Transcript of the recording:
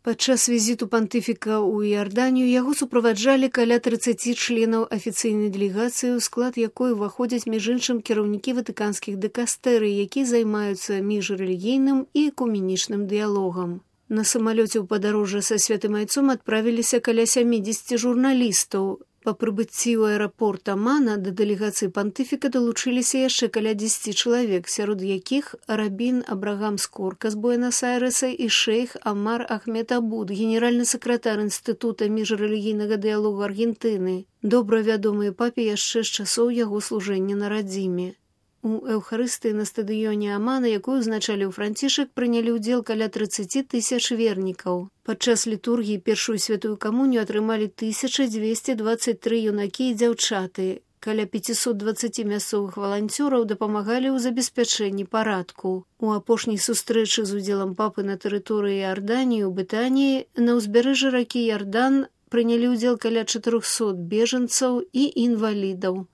Падчас візіту пантыфіка ў Іарданію яго суправаджалі каля 30 членаў афіцыйнай дэлегацыі, у склад якой уваходзяць між іншым кіраўнікі ватыканскіх дыкастэрый, які займаюцца міжрэлігійным і экуменічным дыялогам. На самалёце ў падарожжа са святым айцом адправіліся каля 70 журналістаў. Па прыбыцці ў аэрапорт Амана да дэлегацыі пантыфіка далучыліся яшчэ каля 10 чалавек, сярод якіх рабін Абрагам Скорка з Буэнас-Айрэса і шэйх Амар Ахмед Абуд, генеральны сакратар Інстытута міжрэлігійнага дыялогу Аргентыны, добра вядомыя папе яшчэ з часоў яго служэння на радзіме. У эўхарыстыі на стадыёне Амана, якую узначаліў Францішак, прынялі ўдзел каля 30 тысяч вернікаў. Падчас літургіі першую святую камунію атрымалі 1223 юнакі і дзяўчаты. Каля 520 мясцовых валанцёраў дапамагалі ў забеспячэнні парадку. У апошняй сустрэчы з удзелам папы на тэрыторыі Іарданіі ў Бетаніі на ўзбярэжжы ракі Іардан прынялі ўдзел каля 400 бежанцаў і інвалідаў.